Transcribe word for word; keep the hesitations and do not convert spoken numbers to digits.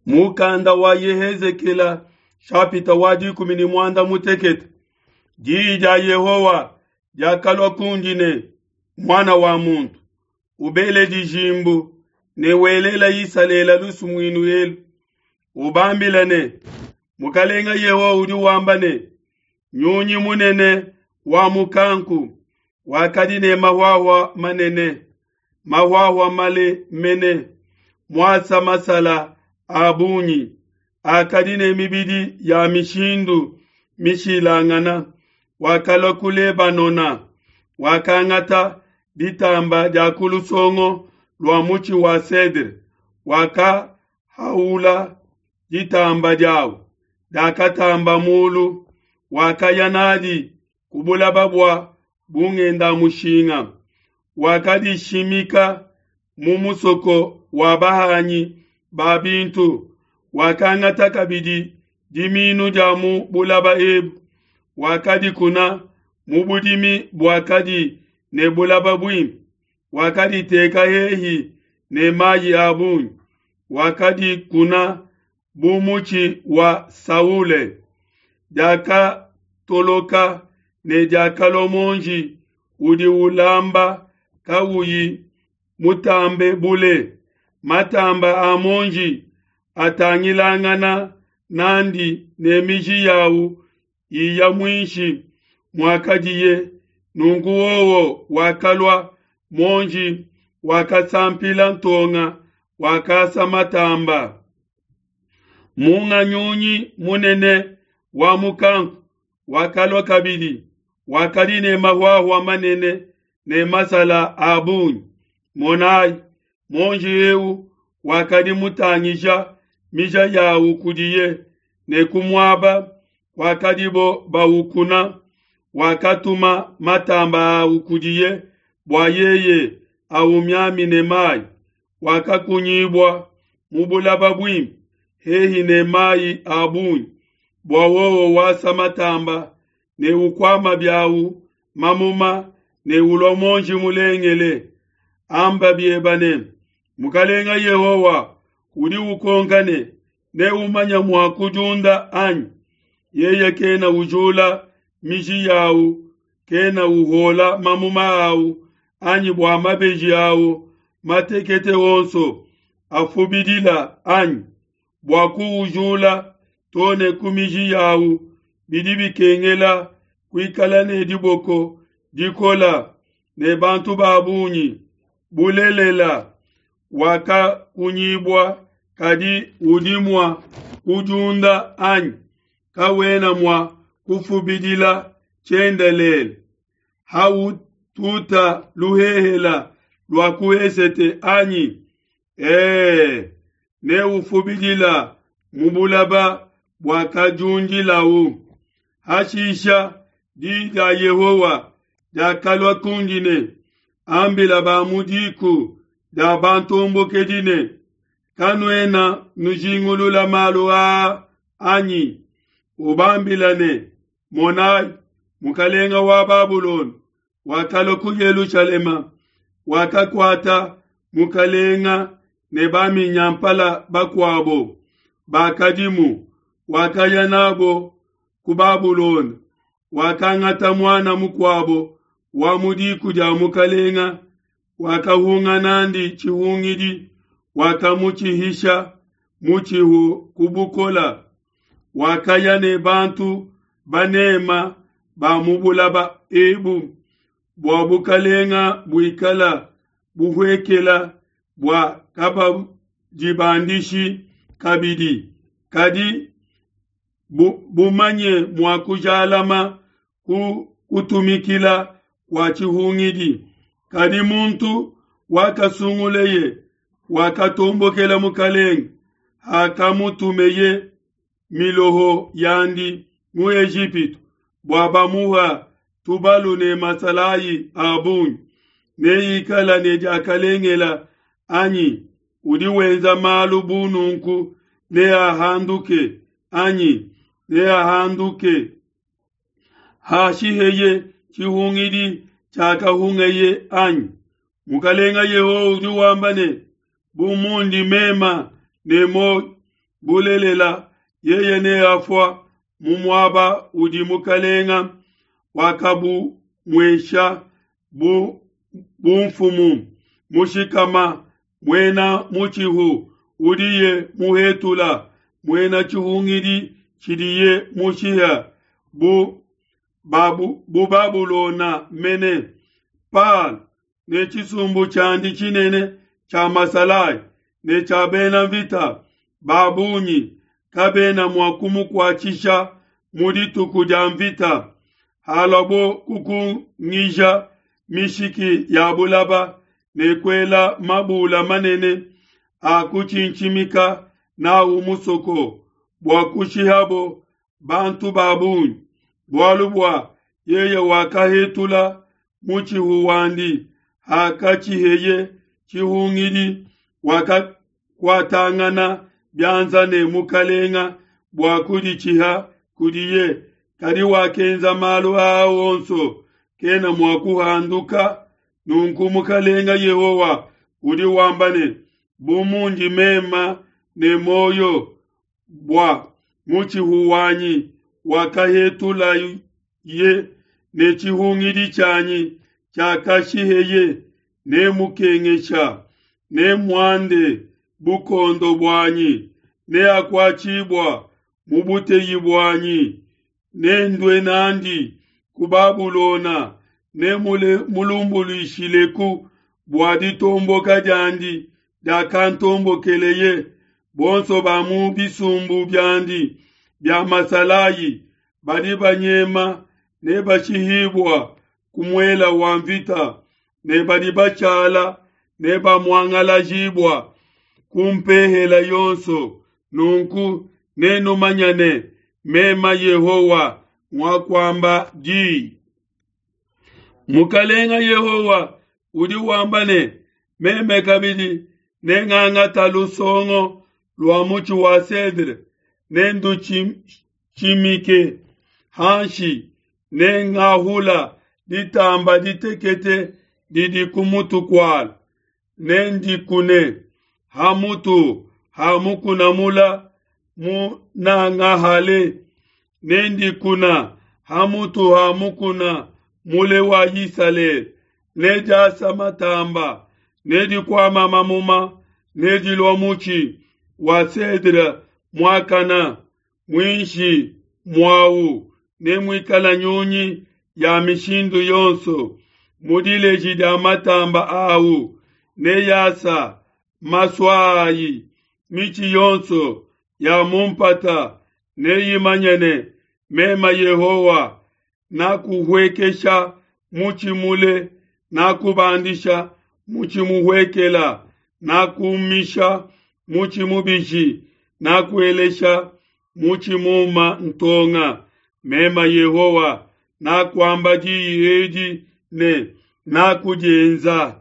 Mukanda wa Yehezekela shapita wa dikumi ne muanda mutekete. Diyi dia Yehowa diakalua kundi ne, muana wa muntu, ubele dijimbu ne welela Isalele lusumuinu elu, ubambila ne, Mukalenga Yehowa udi wamba ne, nyunyi munene wa mukanku wakadi ne mahuahua manene, mahuahua male mene, muasa masala a bungi, akadi ne mibidi ya mishindu mishilangana, wakalua ku Lebanona, wakangata ditamba dia ku lusongo lua mutshi wa cedre, wakahaula ditamba diawu, diakatamba mulu, wakaya nadi ku bulaba bua bungenda-mushinga, wakadishimika mu musoko wa bahanyi ba bintu, wakangata kabidi diminu dia mu bulaba ebu, wakadikuna mu budimi buakadi ne bulaba buimpe, wakaditeka hehi ne mayi a bungi, wakadikuna bu mutshi wa saule. Diakatoloka ne diakalua muonji udi ulamba kauyi mutambe bule, matamba a muonji atangilangana nandi ne miji yawu iya muinshi muakadiye. Nunku wowo wakalua muonji, wakasampila ntonga, wakasa matamba. Munga nyunyi munene wa mukanku wakalua kabidi, wakadi ne mahuahua manene ne masala a bungi. Monai, muonji eu wakadi mutangija mija yawu kudiye, ne ku muaba wakadibo bawukuna, wakatuma matamba awu kudiye bua yeye aumiamine mayi. Wakakunyibua mu bulaba buimpe hehi ne mayi a bungi, bua wowo wasa matamba ne ukwama biawu mamuma ne ulua muonji mulengele. Amba bieba ne, Mukalenga Yehowa udi ukonka ne, neumanya mua kudiunda anyi? Yeye kena ujula miji yawu, kena uhola mamuma awu, anyi bua mabeji awu matekete onso afubidila anyi? Bua kuujula too ne ku miji yawu bidi bikengela kuikala ne diboko dikola ne bantu ba bungi. Bulelela, wakakunyibua, kadi udi mua kudiunda anyi? Kawena mua kufubidila tshiendelele. Haututa luhehela lua ku esete anyi? Ee, neufubidila mu bulaba buakadiundilawu. Hashisha di dia Yehowa diakalua kundi ne, ambila ba mu diku dia bantombokedi ne, kanuena nujingulula malu aa anyi? Ubambila ne, monai, mukalenga wa Babulona wakalua ku Yelushalema, wakakuata mukalenga ne baminyampala bakuabo bakadimu, wakaya nabo ku Babulona, wakangata muana mukuabo wa mu diku dia mukalenga, wakahunga nandi tshihungidi, wakamutshihisha mutshihu ku bukola, wakaya ne bantu banema ba mu bulaba ebu, bua bukalenga buikala buhuekela bua kabadibandishi kabidi, kadi bu, bumanye mua kujalama ku kutumikila kua tshihungidi. Kadi muntu wakasunguleye wakatombokela mukalenge, hakamutumeye miloho yandi mu Ejipitu bua bamuha tubalu ne masalayi a bungi, neikala ne diakalengela anyi? Udi wenza malu bu nunku neahanduke anyi? Neahanduke hashiheye tshihungidi tshiakahungeye anyi? Mukalenga Yehowa udi wamba ne, bu mundi mema ne muoyo, Bulelela, yeye neafua mu muaba udi mukalenga wakabumuesha bu bumfumu mushikama muena mutshihu udiye muhetula muena tshihungidi tshidiye mushiha bu babu bu Babulona mene Palo ne tshisumbu tshiandi tshinene tshia masalayi ne tshia bena mvita ba bungi kabena mua kumukuatshisha mu dituku dia mvita. Haluabo kukungija mishiki ya bulaba ne kuela mabula manene a kutshintshimika nawu musoko bua kushihabo bantu ba bungi, bualu bua yeye wakahetula mutshihu wandi hakatshiheye tshihungidi, wakakuatangana bianza ne mukalenga bua kuditshiha kudiye, kadi wakenza malu aa onso kena mua kuhanduka. Nunku Mukalenga Yehowa udi wamba ne, bu mundi mema ne muoyo, bua mutshihu wanyi wakahetulaye ne tshihungidi tshianyi tshiakashiheye, nemukengesha, nemuande bukondo buanyi, neakuatshibua mu buteyi buanyi, nendue n'andi ku Babulona, nemulumbuluishileku bua ditomboka diandi diakantombokeleye. Bonso ba mu bisumbu biandi bia masalayi badi banyema ne bashihibua ku muela wa mvita, ne badi bashala ne bamuangalajibua ku mpehela yonso. Nunku nenumanye ne, mema Yehowa nguakuamba di. Mukalenga Yehowa udi wamba ne, meme kabidi nengangata lusongo lua mutshi wa cedre, nendutshimike hanshi, nengahula ditamba ditekete didi ku mutu kualu, nendikune ha mutu ha mukuna mula munangahale, nendikuna ha mutu ha mukuna mule wa Isalele, nediasa matamba, nedikuama mamuma, nedilua mutshi wa cedre muakana, muinshi muawu nemuikala nyunyi ya mishindu yonso, mu dileji dia matamba awu neyasa masua ayi, mitshi yonso ya mu mpata neyimanye ne, mema Yehowa nakuhuekesha mutshi mule, nakubandisha mutshi muhuekela, nakumisha mutshi mubishi, nakuelesha mutshi muma ntonga. Mema Yehowa nakuamba diyi edi ne nakudienza.